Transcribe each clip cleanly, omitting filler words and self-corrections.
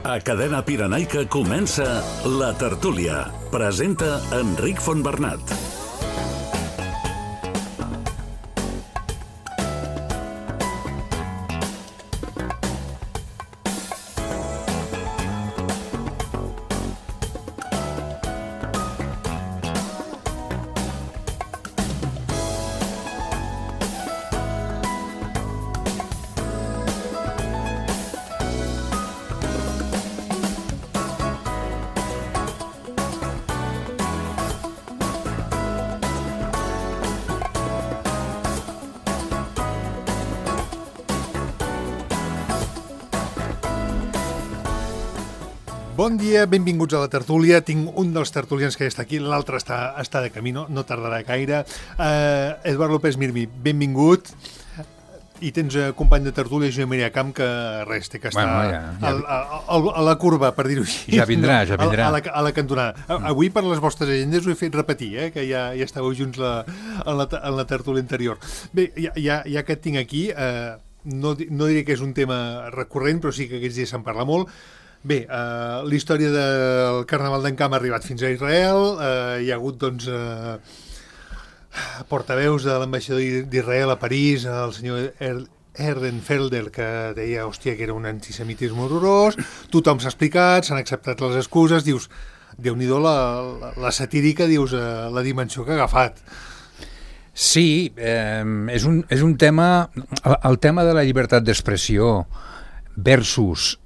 A Cadena Pirenaica comença La Tertúlia. Presenta Enric Fontbernat. Bon dia, benvinguts a la tertúlia. Tinc un dels tertulians que està aquí, l'altre està de camí, no tardarà gaire. Eduard López Mirmi, benvingut. I tens company de tertúlia, Josep Maria Camp, que res, té que estar a la curva, per dir-ho així. Ja vindrà. A la cantonada. Avui, per les vostres agendes, ho he fet repetir, que ja estàveu junts en la tertúlia anterior. Bé, ja que et tinc aquí, no diré que és un tema recurrent, però sí que aquests dies se'n parla molt. Bé, la història del Carnaval d'Encamp ha arribat fins a Israel, hi ha hagut, doncs, portaveus de l'ambaixador d'Israel a París, el senyor Ehrenfelder, que deia, hòstia, que era un antisemitisme horrorós, tothom s'ha explicat, s'han acceptat les excuses, dius, Déu-n'hi-do la satírica, dius, la dimensió que ha agafat. Sí, és un tema, el tema de la llibertat d'expressió versus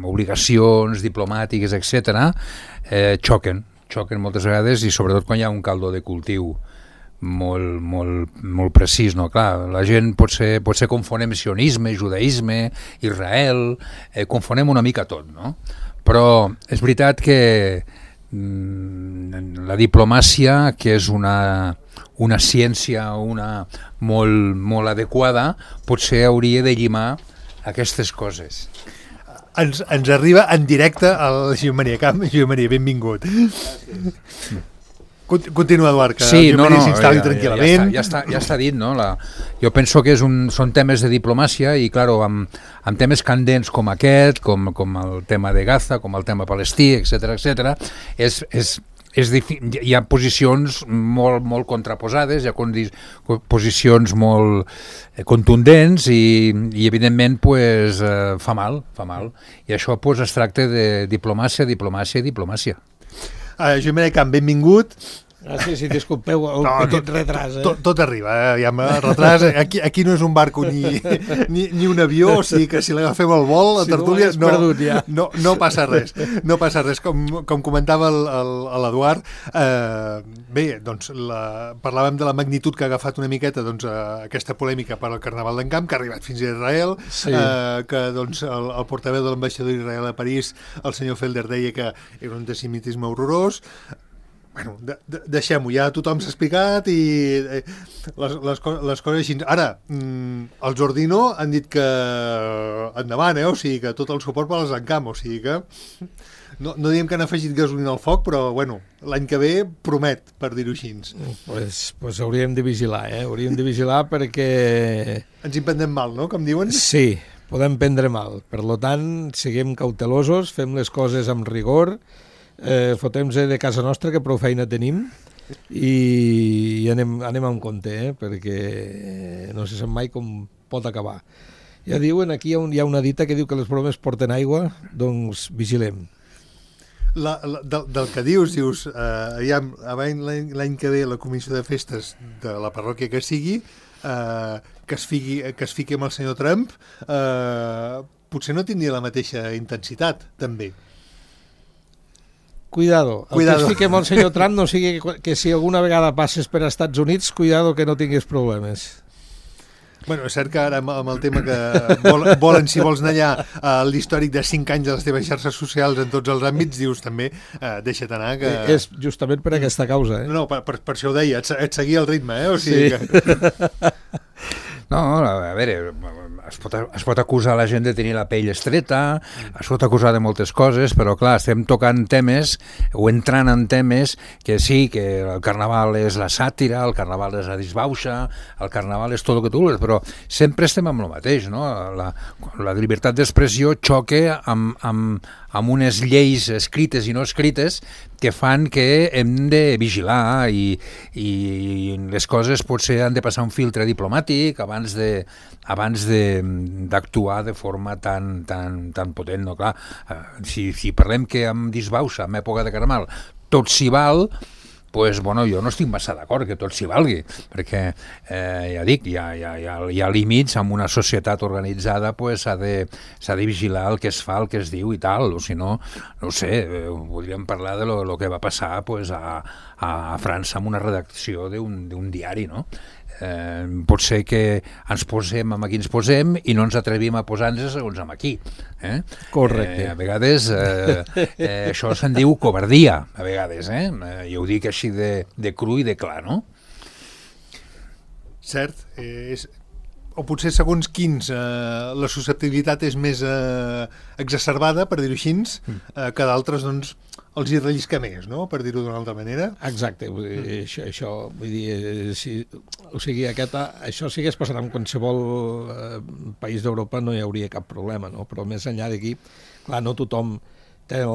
obligacions diplomàtiques, etc., xoquen moltes vegades, i sobretot quan hi ha un caldo de cultiu molt precís, no? Clar, la gent potser confonem sionisme, judaïsme, Israel, confonem una mica tot, no? Però és veritat que la diplomàcia, que és una ciència molt adequada, potser hauria de llimar aquestes coses. Ens arriba en directe al Josep Maria Camp. Josep Maria, benvingut. Continua, Eduard, que sí, Josep Maria s'instal·li tranquil·lament. Ja està dit, no? Jo penso que són temes de diplomàcia i, clar, amb temes candents com aquest, com el tema de Gaza, com el tema palestí, etc., hi ha posicions molt contraposades, hi ha posicions molt contundents i evidentment pues, fa mal. I això pues, es tracta de diplomàcia. Josep Maria Camp, benvingut. Gràcies, si disculpeu el petit retras. Tot arriba, ja amb retras. Aquí no és un barco ni un avió, o sigui que si l'agafem al vol, la tertúlia, no passa res. No passa res. Com comentava l'Eduard, bé, doncs parlàvem de la magnitud que ha agafat una miqueta aquesta polèmica per al Carnaval d'Encamp, que ha arribat fins a Israel, que doncs, el portaveu de l'ambaixador d'Israel a París, el senyor Felder, deia que era un antisemitisme horrorós. Bueno, deixem-ho, ja tothom s'ha explicat i les coses així. Ara, els Ordino han dit que endavant, o sigui que tot el suport per als Encamp, o sigui que no diem que han afegit gasolina al foc, però bueno, l'any que ve promet, per dir-ho així. Pues hauríem de vigilar, hauríem de vigilar perquè... Ens hi prendrem mal, no?, com diuen? Sí, podem prendre mal. Per tant, siguem cautelosos, fem les coses amb rigor, fotem-se de casa nostra, que prou feina tenim, i anem amb compte, perquè no se sap mai com pot acabar. Ja diuen, aquí hi ha una dita que diu que les bromes porten aigua, doncs vigilem. Del que dius, l'any que ve la comissió de festes de la parròquia que sigui, que es fiqui amb el senyor Trump, potser no tindria la mateixa intensitat, també. Cuidado. El que es fiqui amb el senyor Trump no sigui que si alguna vegada passes per Estats Units, cuidado que no tinguis problemes. Bueno, és cert que ara amb el tema que volen, si vols anar allà, l'històric de 5 anys de les teves xarxes socials en tots els àmbits, dius també, deixa't anar. Que... És justament per aquesta causa. No, per això ho deia, et seguia el ritme, o sigui que... No, a veure, es pot acusar la gent de tenir la pell estreta, es pot acusar de moltes coses, però clar, estem tocant temes o entrant en temes que sí, que el carnaval és la sàtira, el carnaval és la disbauxa, el carnaval és tot el que tu vols, però sempre estem amb el mateix, no? La llibertat d'expressió xoca amb unes lleis escrites i no escrites que fan que hem de vigilar i les coses potser han de passar un filtre diplomàtic abans d'actuar de forma tan potent. No? Clar, si parlem que amb disbauxa, en època de carnaval, tot s'hi val, pues, bueno, jo no estic massa d'acord que tot s'hi valgui, perquè ja dic, hi ha límits, en una societat organitzada pues, s'ha de vigilar el que es fa, el que es diu i tal, o si no, no ho sé, podríem parlar de lo que va passar pues, a França amb una redacció d'un diari, no? Pot ser que ens posem amb qui ens posem i no ens atrevim a posar-nos segons amb aquí. Correcte. A vegades això se'n diu covardia, a vegades. Jo ho dic així de cru i de clar, no? Cert. O potser segons quins la susceptibilitat és més exacerbada, per dir-ho així, que d'altres, doncs, els hi rellisca més, no?, per dir-ho d'una altra manera. Exacte, vull dir, això vull dir, o sigui, això si hagués passat en qualsevol país d'Europa no hi hauria cap problema, no? Però més enllà d'aquí, clar, no tothom té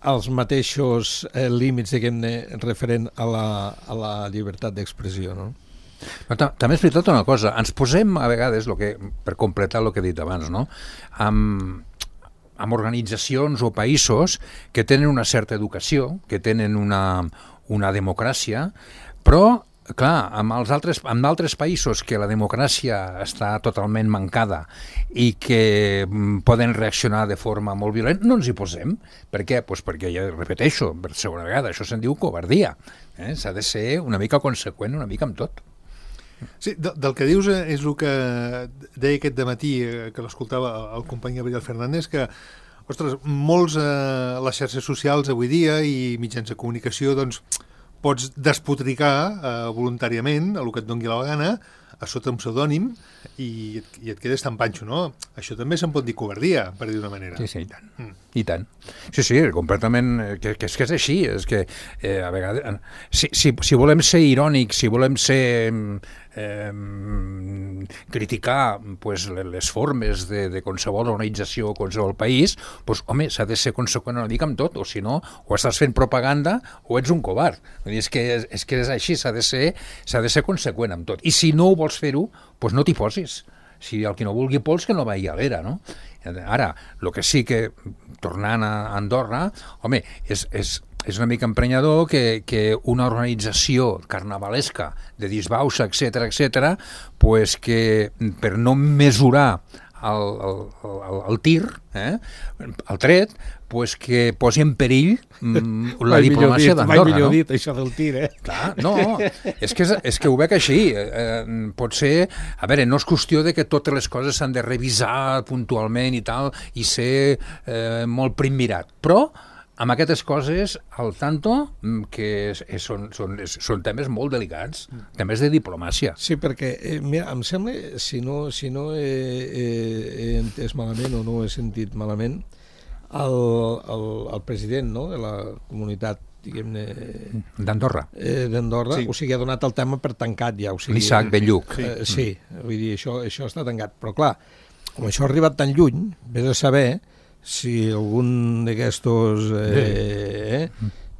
els mateixos límits, diguem-ne, referent a la llibertat d'expressió, no? Però també és veritat una cosa, ens posem a vegades, per completar el que he dit abans, no?, amb organitzacions o països que tenen una certa educació, que tenen una democràcia, però, clar, amb altres països que la democràcia està totalment mancada i que poden reaccionar de forma molt violenta, no ens hi posem. Per què? Pues perquè, ja repeteixo, per segona vegada, això se'n diu covardia. S'ha de ser una mica conseqüent, una mica amb tot. Sí, del que dius és el que deia aquest dematí, que l'escoltava el company Gabriel Fernández, que, ostres, molts les xarxes socials avui dia i mitjans de comunicació, doncs, pots despotricar voluntàriament el que et doni la gana, a sota un pseudònim, i et quedes tan panxo, no? Això també se'n pot dir covardia, per dir d'una manera. Sí, i tant. I tant. Sí, completament, que és així, és que a vegades, si volem ser irònics, si volem ser criticar pues, les formes de qualsevol organització o qualsevol país, pues, home, s'ha de ser conseqüent una mica amb tot, o si no, o estàs fent propaganda o ets un covard. És que és així, s'ha de ser conseqüent amb tot. I si no ho vols fer-ho, pues no t'hi posis. Si el que no vulgui pols, que no vagi a l'era, no? Ara, el que sí que, tornant a Andorra, home, és una mica emprenyador que una organització carnavalesca de disbauxa, etc., pues que per no mesurar el tir, el tret, pues que posi en perill la diplomàcia d'Andorra. Mai millor dit, això del tir, Clar, no, és que ho veig així. Pot ser, a veure, no és qüestió de que totes les coses s'han de revisar puntualment i tal, i ser molt primmirat, però amb aquestes coses, al tanto, que són temes molt delicats, temes de diplomàcia. Sí, perquè, mira, em sembla, si no he entès malament o no he sentit malament, el president, no?, de la comunitat, diguem-ne... D'Andorra. D'Andorra, sí. O sigui, ha donat el tema per tancat ja. L'Isaac Belluc. Sí, vull dir, això està tancat. Però clar, com això ha arribat tan lluny, vés a saber si algun d'aquestos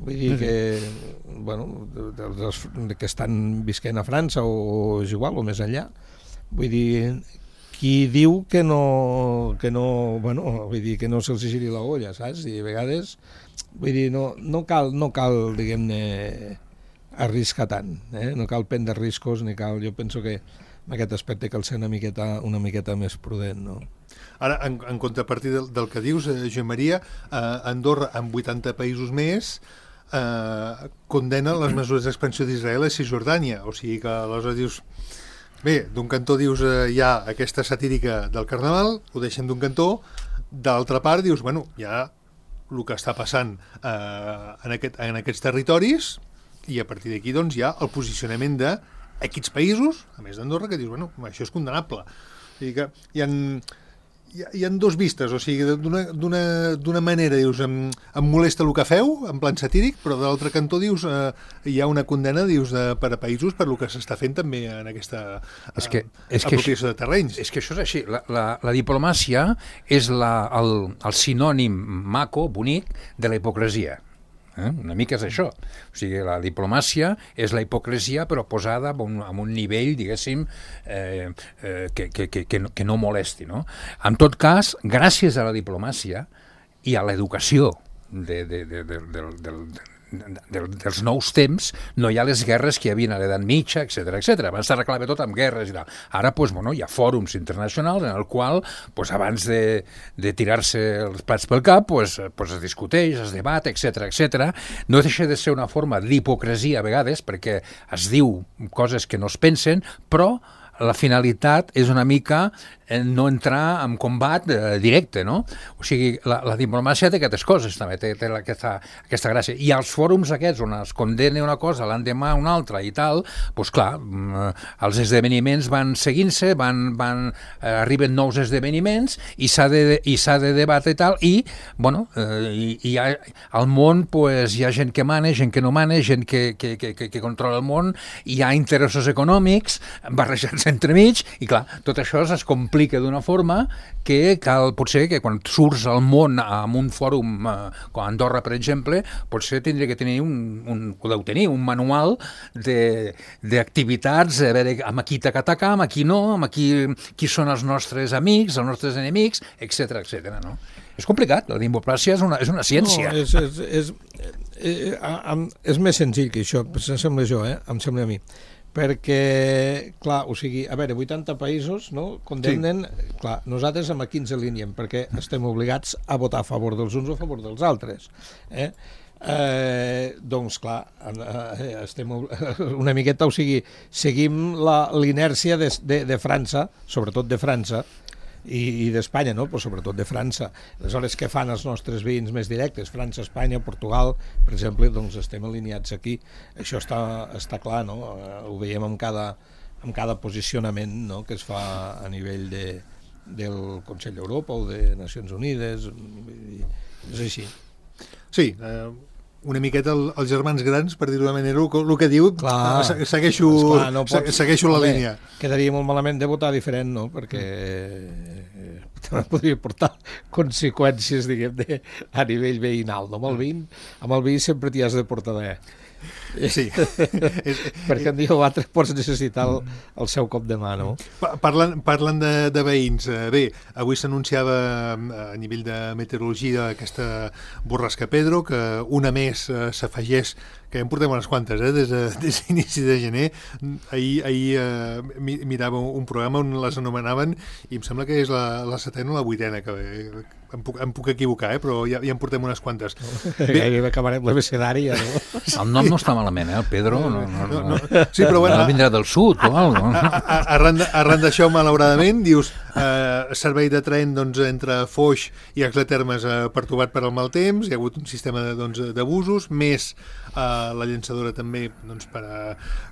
vull dir que bueno, que estan visquent a França o és igual, o més enllà, vull dir, qui diu que no bueno, vull dir que no se'ls giri la olla, saps? I a vegades, vull dir, no cal diguem-ne, arriscar tant, no cal prendre riscos, ni cal, jo penso que en aquest aspecte cal ser una miqueta més prudent, no? Ara, en contrapartida del que dius, Joan Maria, Andorra, amb 80 països més, condena les mesures d'expansió d'Israel a Cisjordània. O sigui que aleshores dius... Bé, d'un cantó dius hi ha aquesta satírica del Carnaval, ho deixem d'un cantó, d'altra part dius, bueno, hi ha el que està passant en aquests territoris i a partir d'aquí doncs hi ha el posicionament de Aquests països, a més d'Andorra, que dius, bueno, això és condemnable. O sigui que hi ha dos vistes, o sigui, d'una manera dius, em molesta el que feu, en plan satíric, però de l'altre cantó dius, hi ha una condena, dius, per a països per lo que s'està fent també en aquesta apropiació de terrenys. És que això és així. La diplomàcia és el sinònim maco, bonic, de la hipocresia. Una mica és això. O sigui, la diplomàcia és la hipocresia però posada en un nivell, diguéssim, que no molesti, no? En tot cas, gràcies a la diplomàcia i a l'educació dels nous temps, no hi ha les guerres que hi havia a l'edat mitja, etc. Abans s'arreglava tot amb guerres i tal. Ara hi ha fòrums internacionals en el qual abans de tirar-se els plats pel cap es discuteix, es debat, etc. No deixa de ser una forma d'hipocresia a vegades perquè es diu coses que no es pensen, però la finalitat és una mica no entrar en combat directe, no? O sigui, la diplomàcia té aquestes coses, també, té aquesta gràcia. I els fòrums aquests on es condena una cosa, l'endemà una altra i tal, doncs clar, els esdeveniments van seguint-se, arriben nous esdeveniments i s'ha de debatre i tal, i, bueno, al món hi ha gent que mana, gent que no mana, gent que controla el món, hi ha interessos econòmics barrejats entremig, i clar, tot això es complica d'una forma que cal, potser que quan surts al món en un fòrum com Andorra, per exemple, potser tindria que tenir un manual d'activitats, a veure amb qui t'atacar, amb qui no, amb qui són els nostres amics, els nostres enemics, etc. No? És complicat, la diplomàcia és una ciència. No, és més senzill que això, em sembla em sembla a mi. Perquè, clar, o sigui, a veure, 80 països, no?, condemnen, sí. Clar, nosaltres amb aquí ens alineem, perquè estem obligats a votar a favor dels uns o a favor dels altres. Doncs, clar, estem una miqueta, o sigui, seguim l'inèrcia de França, sobretot de França, i d'Espanya, no? Però sobretot de França. Aleshores, què fan els nostres veïns més directes? França, Espanya, Portugal, per exemple, doncs estem alineats aquí. Això està clar, no? Ho veiem amb cada posicionament, no?, que es fa a nivell del Consell d'Europa o de Nacions Unides. És així. Sí, una miqueta els germans grans, per dir-ho d'una manera, el que diu, segueixo la línia. Quedaria molt malament de votar diferent, no?, perquè podria portar conseqüències, diguem, a nivell veïnal. No? Amb el veí sempre t'hi has de portar bé. Sí. Perquè un dia o altre pots necessitar el seu cop de mà, no? Parlant de veïns, bé, avui s'anunciava a nivell de meteorologia aquesta borrasca Pedro, que una més s'afegeix, que ja en portem unes quantes, des d'inici de gener. Ahir mirava un programa on les anomenaven i em sembla que és la setena o la vuitena, que em puc equivocar, però ja en portem unes quantes. Gairebé acabarem l'abecedari, no? El nom no està malament, el Pedro no. Sí, però bueno, vindrà del sud o alguna cosa. Arran d'això, malauradament, dius, servei de tren entre Foix i Axletermes pertorbat per al mal temps, hi ha hagut un sistema d'abusos, més la llançadora també per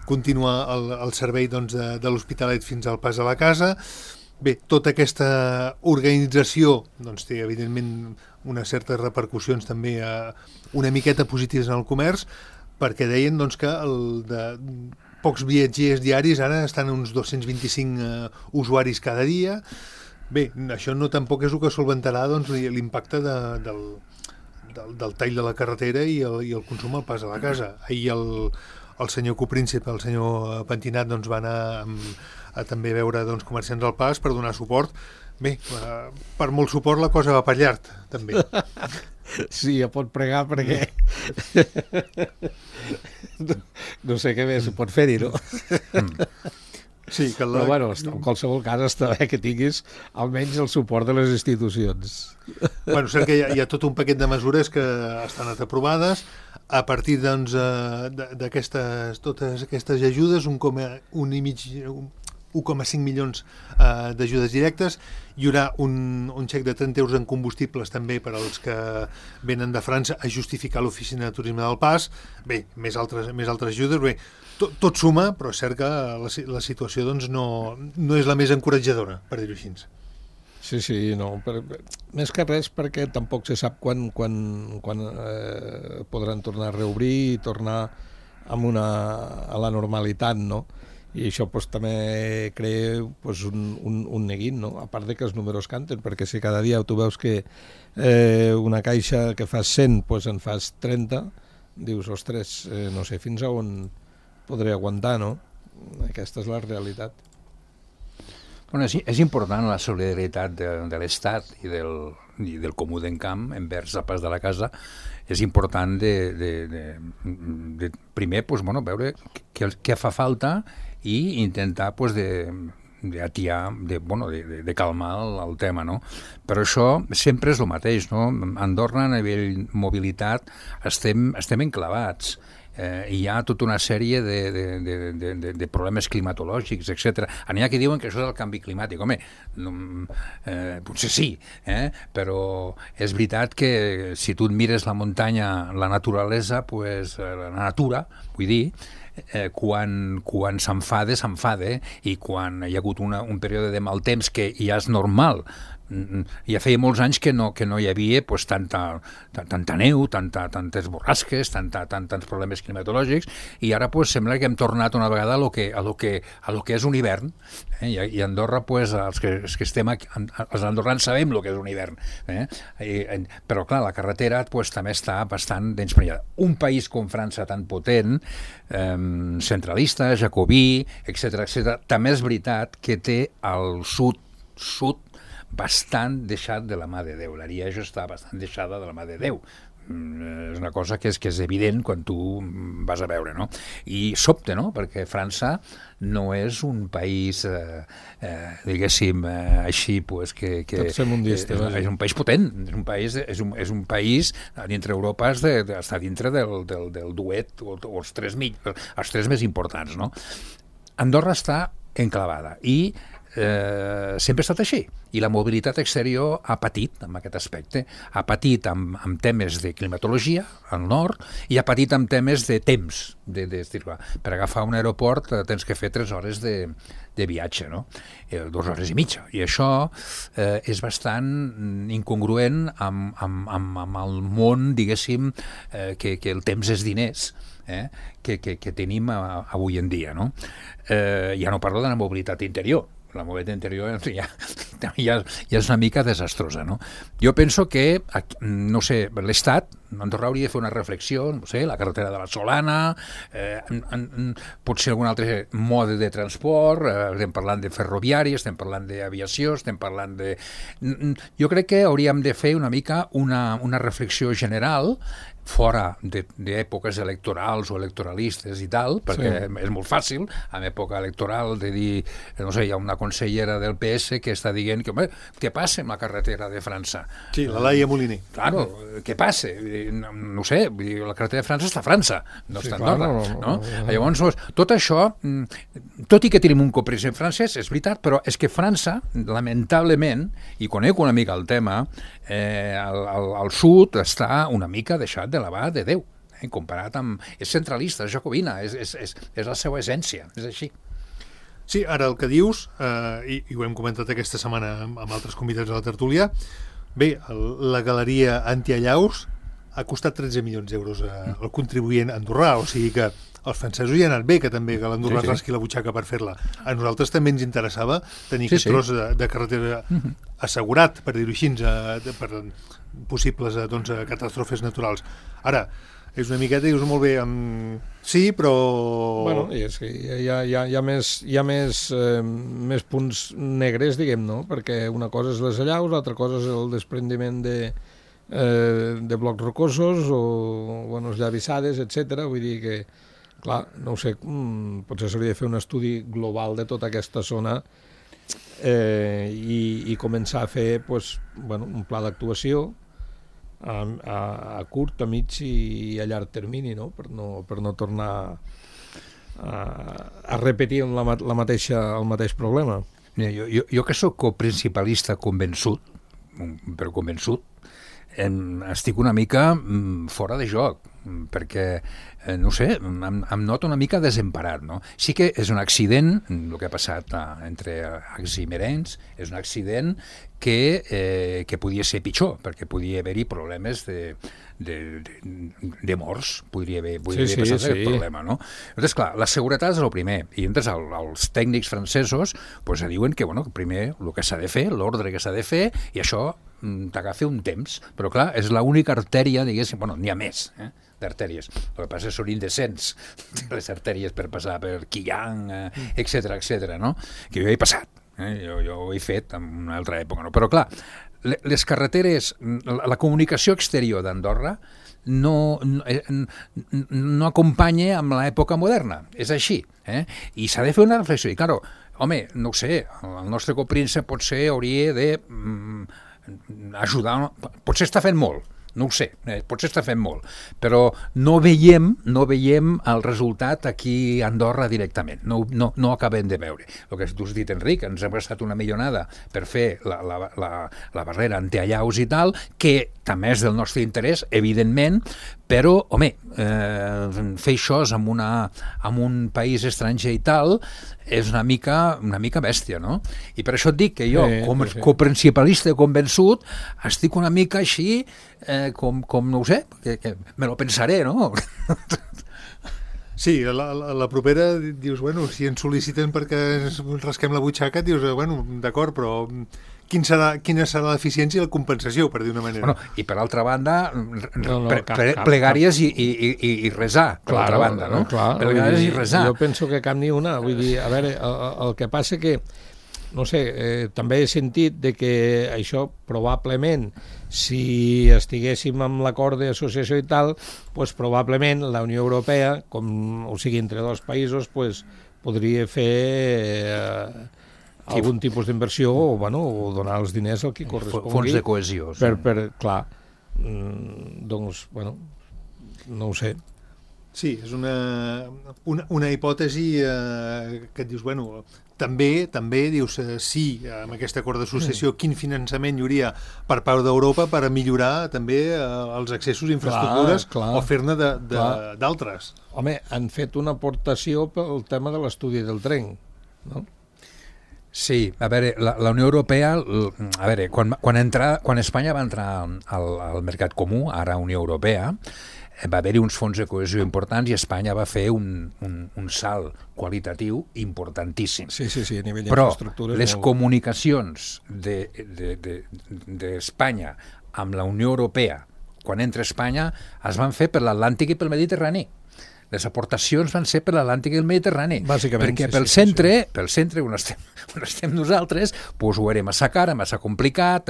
continuar el servei de l'Hospitalet fins al pas a la casa. Bé, tota aquesta organització té, evidentment, unes certes repercussions també una miqueta positives en el comerç, perquè deien que de pocs viatgers diaris ara estan uns 225 usuaris cada dia. Bé, això no tampoc és el que solventarà l'impacte del tall de la carretera i el consum al pas a la casa. Ahir el senyor copríncep, el senyor Pentinat, va anar a també veure comerciants al pas per donar suport. Bé, per molt suport la cosa va per llarg, també. Sí, ja pot pregar perquè no sé què més pot fer-hi, no? Sí, però bueno, en qualsevol cas està bé que tinguis almenys el suport de les institucions. Bueno, cert que hi ha tot un paquet de mesures que estan aprovades. A partir totes aquestes ajudes, 1,5 milions d'ajudes directes. Hi haurà un xec de 30 euros en combustibles també per als que venen de França a justificar l'oficina de turisme del Pas. Bé, més altres ajudes. Bé, tot suma, però és cert que la situació doncs, no és la més encoratjadora, per dir-ho així. Sí, no. Més que res perquè tampoc se sap quan podran tornar a reobrir i tornar a la normalitat, no? I això també crea un neguit, no? A part de que els números canten, perquè si cada dia tu veus que una caixa que fas 100 en fas 30, dius, ostres, no sé fins a on podré aguantar, no? Aquesta és la realitat. Bueno, és important la solidaritat de l'Estat i del comú d'encamp envers el pas de la casa. És important de primer veure què fa falta i intentar d'atiar, de calmar el tema, no? Però això sempre és el mateix, no? A Andorra, a nivell mobilitat, estem enclavats. Hi ha tota una sèrie de problemes climatològics, etc. N'hi ha que diuen que això és el canvi climàtic. Home, potser sí, però és veritat que si tu et mires la muntanya, la naturalesa, la natura, vull dir, quan s'enfada, i quan hi ha hagut un període de mal temps que ja és normal. Ja feia molts anys que no hi havia tanta neu, tantes borrasques, tants problemes climatològics, i ara sembla que hem tornat una vegada a lo que és un hivern, i a Andorra els que estem aquí, els andorrans sabem el que és un hivern, però clar, la carretera també està bastant desprenyada. Un país com França tan potent, centralista, jacobí, etc., també és veritat que té el sud bastant deixat de la mà de Déu. L'Arieja està bastant deixada de la mà de Déu. És una cosa que és evident quan tu vas a veure, no? I sobte, no? Perquè França no és un país, diguéssim, així, que és un país potent, és un país dintre Europa, està dintre del duet, o els tres més importants, no? Andorra està enclavada i sempre ha estat així, i la mobilitat exterior ha patit amb aquest aspecte, ha patit amb temes de climatologia al nord i ha patit amb temes de temps, per agafar un aeroport tens que fer 3 hores de viatge, no? 2 hores i mitja, i això és bastant incongruent amb el món, diguéssim, que el temps és diners, que tenim avui en dia, no? Ja no parlo de la mobilitat interior. La mobilitat interior ja és una mica desastrosa, no? Jo penso que, no sé, l'Estat, Andorra hauria de fer una reflexió, no sé, la carretera de la Solana, potser algun altre mode de transport, estem parlant de ferroviari, estem parlant d'aviació, estem parlant de... Jo crec que hauríem de fer una mica una reflexió general fora d'èpoques electorals o electoralistes i tal, perquè és molt fàcil, en època electoral, de dir, no sé, hi ha una consellera del PS que està dient que, home, què passa amb la carretera de França? Sí, la Laia Moliner. Claro, què passa? No sé, la carretera de França està a França, no està a Andorra, no? Llavors, tot això, tot i que tenim un copresident francès, és veritat, però és que França, lamentablement, i conec una mica el tema, al sud està una mica deixat de la mà de Déu, comparat amb... És centralista, és jacobina, és la seva essència, és així. Sí, ara el que dius, i ho hem comentat aquesta setmana amb altres convidats a la tertúlia, bé, la galeria Antiallaus ha costat 13 milions d'euros al contribuent andorrà, o sigui que els francesos hi han anat bé, que també que l'Andorra rasqui la butxaca per fer-la. A nosaltres també ens interessava tenir aquest tros de carretera assegurat, per dir-ho així, per possibles catàstrofes naturals. Ara, és una miqueta, dius molt bé, sí, però... Bueno, i és que hi ha més punts negres, diguem, no? Perquè una cosa és les allaus, l'altra cosa és el desprendiment de blocs rocosos o els llavissades, etc. Vull dir que, clar, no ho sé, potser s'hauria de fer un estudi global de tota aquesta zona i començar a fer un pla d'actuació a curt, a mig i a llarg termini, no? Per no tornar a repetir el mateix problema. Jo que sóc coprincipalista convençut, però convençut, estic una mica fora de joc, perquè, no sé, em noto una mica desemparat, no? Sí que és un accident, el que ha passat entre Ags i Merenys, és un accident que podia ser pitjor, perquè podia haver-hi problemes de morts, podria haver passat aquest problema, no? Llavors, clar, la seguretat és el primer, i llavors els tècnics francesos diuen que, primer, el que s'ha de fer, l'ordre que s'ha de fer, i això t'agafa un temps, però clar, és l'única artèria, diguéssim, n'hi ha més, d'artèries. El que passa són indecents les artèries per passar per Quillan, etc, no? Que jo he passat, jo ho he fet en una altra època, no? Però clar, les carreteres, la comunicació exterior d'Andorra no acompanya amb l'època moderna, és així, i s'ha de fer una reflexió, i claro, home, no ho sé, el nostre copríncep potser hauria de ajudar, potser està fent molt, no ho sé, potser està fent molt, però no veiem el resultat aquí a Andorra directament, no acabem de veure. El que tu has dit, Enric, ens hem gastat una milionada per fer la barrera antiallaus i tal, que també és del nostre interès, evidentment, però, home, fer això en un país estranger i tal és una mica bèstia, no? I per això et dic que jo, com a coprincipalista convençut, estic una mica així, com no ho sé, que me lo pensaré, no? Sí, la propera dius, si ens sol·liciten perquè ens rasquem la butxaca, dius, d'acord, però quina serà l'eficiència i la compensació, per dir una manera. I per altra banda, plegàries i resar, per altra banda, no? Plegàries i resar. Jo penso que cap ni una, vull dir, a veure, el que passa que, no sé, també he sentit de que això probablement, si estiguéssim amb l'acord d'associació i tal, probablement la Unió Europea, o sigui, entre dos països, podria fer algun tipus d'inversió o donar els diners al que correspongui. Fons de cohesió. Clar, doncs, no ho sé. Sí, és una hipòtesi que et dius, també dius, sí, amb aquest acord d'associació, quin finançament hi hauria per part d'Europa per a millorar també els accessos i infraestructures o fer-ne d'altres. Home, han fet una aportació pel tema de l'estudi del tren, no? Sí, a veure, la Unió Europea, a veure, quan Espanya va entrar al mercat comú, ara Unió Europea, va haver-hi uns fons de cohesió importants i Espanya va fer un salt qualitatiu importantíssim. Sí, a nivell d'infraestructures. Però les comunicacions d'Espanya amb la Unió Europea, quan entra Espanya, es van fer per l'Atlàntic i pel Mediterrani. Les aportacions van ser per l'Atlàntic i el Mediterrani. Bàsicament, perquè pel centre on estem nosaltres, ho era massa car, massa complicat,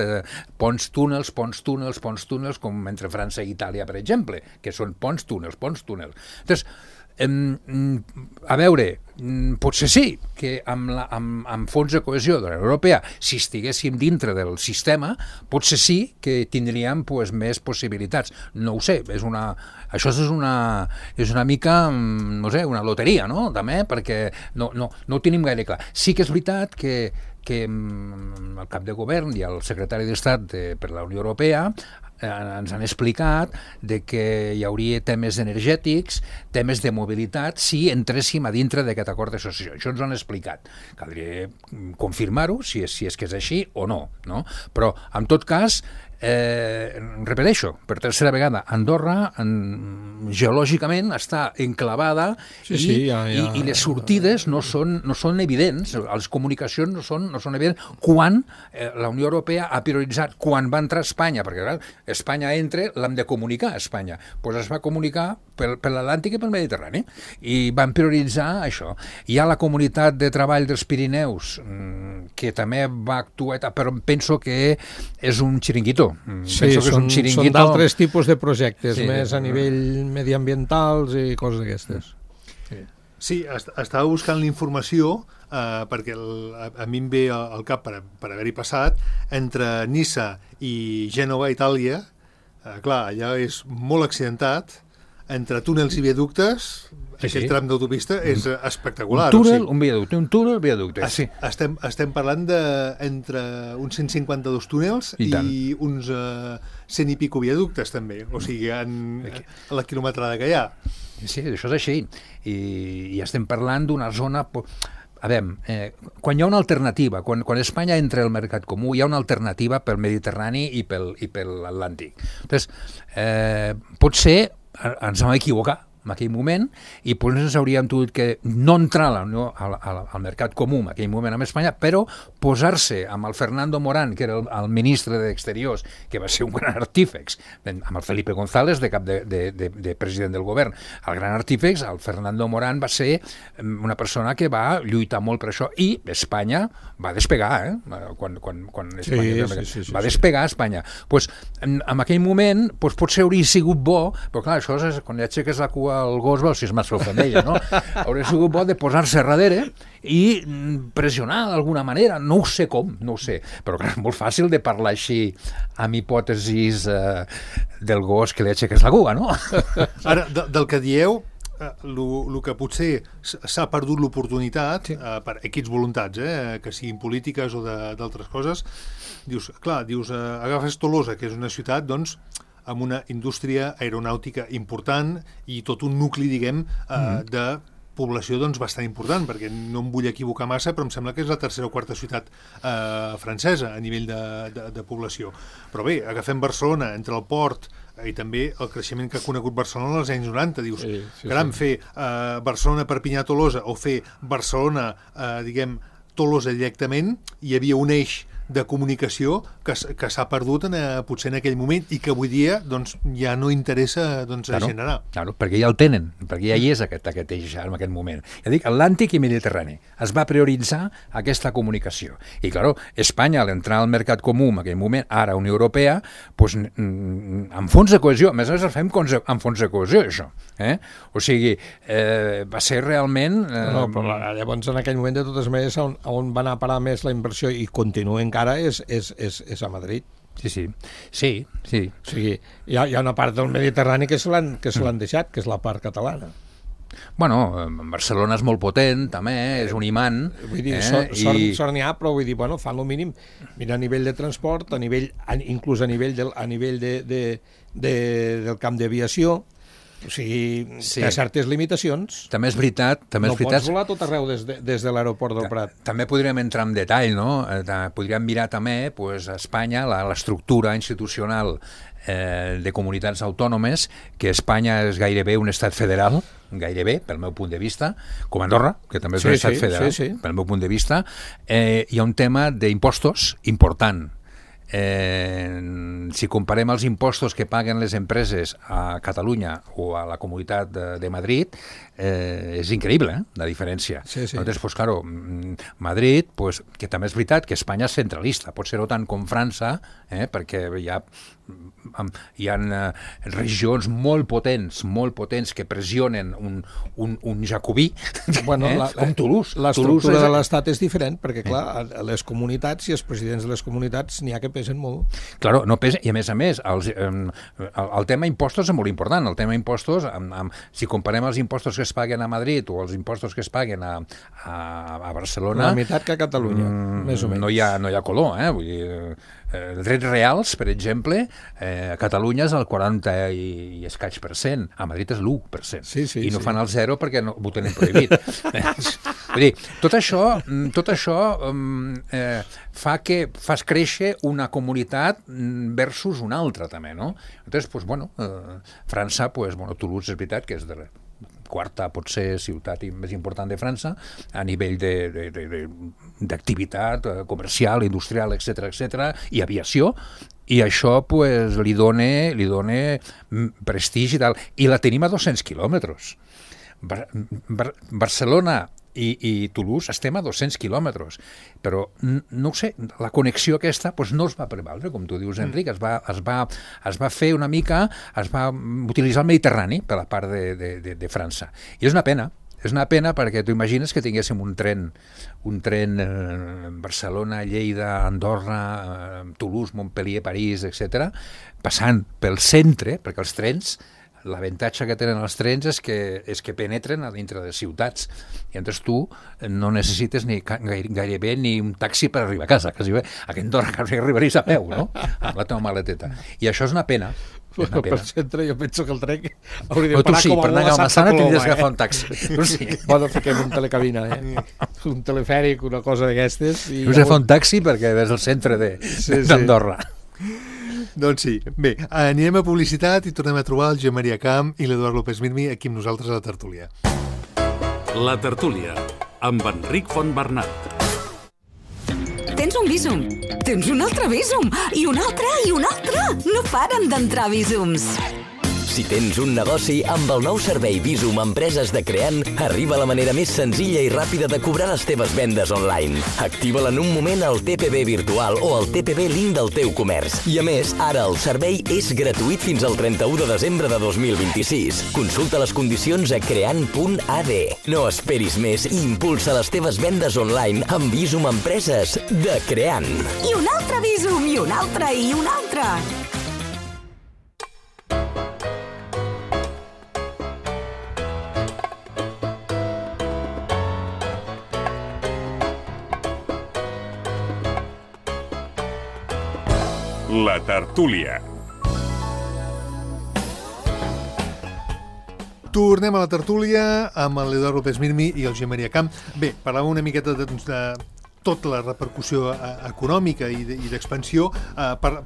ponts, túnels, com entre França i Itàlia, per exemple, que són ponts, túnels. Entonces, a veure, potser sí que amb fons de cohesió de la Unió Europea, si estiguéssim dintre del sistema, potser sí que tindríem més possibilitats. No ho sé, això és una mica, no sé, una loteria, no? També, perquè no ho tenim gaire clar. Sí que és veritat que el cap de govern i el secretari d'Estat per la Unió Europea ens han explicat que hi hauria temes energètics, temes de mobilitat, si entréssim a dintre d'aquest acord d'associació. Això ens ho han explicat. Caldria confirmar-ho, si és que és així o no? Però, en tot cas, repeteixo, per tercera vegada, Andorra geològicament està enclavada i les sortides no són evidents, les comunicacions no són evidents quan la Unió Europea ha prioritzat, quan va entrar Espanya, perquè clar, Espanya entra, l'hem de comunicar a Espanya, doncs es va comunicar per l'Atlàntic i pel Mediterrani, i van prioritzar això. Hi ha la comunitat de treball dels Pirineus, que també va actuar, però penso que és un xiringuito. Sí, són d'altres tipus de projectes, més a nivell mediambientals i coses d'aquestes. Sí, estava buscant la informació perquè a mi em ve al cap per haver-hi passat entre Niça i Gènova, Itàlia. Clar, allà és molt accidentat, entre túnels i viaductes, aquell tram d'autopista és espectacular. Un viaducte, un túnel, viaducte. Estem parlant d'entre uns 152 túnels i uns 100 i pico viaductes, també. O sigui, a la quilometrada que hi ha. Sí, això és així. I estem parlant d'una zona... A veure, quan hi ha una alternativa, quan Espanya entra al mercat comú, hi ha una alternativa pel Mediterrani i per l'Atlàntic. Llavors, potser ens vam equivocar en aquell moment i potser ens hauríem tingut que no entrar al mercat comú en aquell moment amb Espanya, però posar-se amb el Fernando Morán, que era el ministre d'Exteriors, que va ser un gran artífex, amb el Felipe González de cap de president del govern. El gran artífex, el Fernando Morán, va ser una persona que va lluitar molt per això i Espanya va despegar, quan Espanya va despegar Espanya. Pues, en aquell moment potser hauria sigut bo, però clar, això és quan ja aixeques la cua al gos, veus si és mascle o femella, no? Hauria sigut bo de posar-se darrere i pressionar d'alguna manera, no ho sé com, no ho sé, però clar, és molt fàcil de parlar així amb hipòtesis del gos que li aixeques la cua, no? Ara, del que dieu, el que potser s'ha perdut l'oportunitat per equips voluntats, que siguin polítiques o d'altres coses, dius, agafes Tolosa, que és una ciutat, doncs, amb una indústria aeronàutica important i tot un nucli, diguem, de població doncs, bastant important, perquè no em vull equivocar massa, però em sembla que és la tercera o quarta ciutat francesa a nivell de població. Però bé, agafem Barcelona, entre el port i també el creixement que ha conegut Barcelona als anys 90, dius, caram, fer Barcelona-Perpinyà-Tolosa o fer Barcelona, diguem, Tolosa directament, hi havia un eix de comunicació que s'ha perdut potser en aquell moment i que avui dia doncs, ja no interessa generar. Claro, perquè ja el tenen, perquè ja hi és aquest eix en aquest moment. Ja dic, Atlàntic i Mediterrani. Es va prioritzar aquesta comunicació. I, clar, Espanya, al entrar al mercat comú en aquell moment, ara Unió Europea, doncs, amb fons de cohesió, a més el fem amb fons de cohesió, això. O sigui, va ser realment... No, però llavors en aquell moment, de totes maneres, on va anar a parar més la inversió i continua encara és a Madrid. Sí. O sigui, hi ha una part del Mediterrani que se l'han deixat, que és la part catalana. Bueno, Barcelona és molt potent, també, és un imant. Vull dir, sort n'hi ha, però vull dir, bueno, fan el mínim. Mira, a nivell de transport, inclús a nivell del camp d'aviació, o sigui, hi ha certes limitacions. També és veritat. No pots volar tot arreu des de l'aeroport del Prat. També podríem entrar en detall, no? Podríem mirar també a Espanya l'estructura institucional de comunitats autònomes, que Espanya és gairebé un estat federal, gairebé, pel meu punt de vista, com Andorra, que també és un estat federal, pel meu punt de vista. Hi ha un tema d'impostos important. Si comparem els impostos que paguen les empreses a Catalunya o a la Comunitat de Madrid, és increïble, la diferència. Llavors, pues, claro, Madrid, pues, que també és veritat que Espanya és centralista, pot ser-ho tant com França, perquè hi ha regions molt potents que pressionen un jacobí, com Toulouse. L'estructura de l'Estat és diferent, perquè, clar, les comunitats i els presidents de les comunitats n'hi ha que pesen molt. Claro, no pesen, i a més, el tema impostos és molt important. El tema impostos, si comparem els impostos que es paguen a Madrid o els impostos que es paguen a Barcelona... La meitat que a Catalunya, més o menys. No hi ha color, vull dir... drets reals, per exemple, a Catalunya és el 40 i escaig %, a Madrid és l'1%, i no fan el 0 perquè ho tenen prohibit. Vull dir, tot això fa que fas créixer una comunitat versus una altra, també, no? Llavors, pues, bueno, França, pues, bueno, Toulouse és veritat que és de quarta, potser, ciutat més important de França, a nivell d'activitat comercial, industrial, etc., i aviació, i això pues, li dona prestigi i tal. I la tenim a 200 quilòmetres. Barcelona i Toulouse estem a 200 quilòmetres, però no ho sé, la connexió aquesta pues, no es va prevaldre, com tu dius, Enric, es va fer una mica, es va utilitzar el Mediterrani per la part de França. I és una pena perquè tu imagines que tinguéssim un tren Barcelona, Lleida, Andorra, Toulouse, Montpellier, París, etc., passant pel centre, perquè els trens l'avantatge que tenen els trens és que penetren a dintre de ciutats. I llavors tu no necessites gairebé ni un taxi per arribar a casa. Quasi bé. A Andorra quasi arribaries a peu, no? Amb la teva maleteta. I això és una pena. Bueno, per centre jo penso que el tren hauria de parar com a per anar a Massana tindries que agafar un taxi. Bueno, fiquem un telecabina, un telefèric, una cosa d'aquestes. Us agafar un taxi perquè ves el centre d'Andorra. Doncs sí. Bé, anirem a publicitat i tornem a trobar el Josep Maria Camp i l'Eduard López Mirmi aquí amb nosaltres a la tertúlia. La tertúlia, amb Enric Fontbernat. Tens un Bizum, tens un altre Bizum, i un altre, i un altre. No paren d'entrar Bizums. Si tens un negoci, amb el nou servei Bizum Empreses de Creant, arriba la manera més senzilla i ràpida de cobrar les teves vendes online. Activa-la en un moment al TPB virtual o al TPB link del teu comerç. I a més, ara el servei és gratuït fins al 31 de desembre de 2026. Consulta les condicions a creant.ad. No esperis més i impulsa les teves vendes online amb Bizum Empreses de Creant. I un altre Bizum, i un altre, i un altre. La tertúlia. Tornem a la tertúlia amb l'Eduard López Mirmi i el Josep Maria Camp. Bé, parlàvem una miqueta de tota la repercussió econòmica i d'expansió.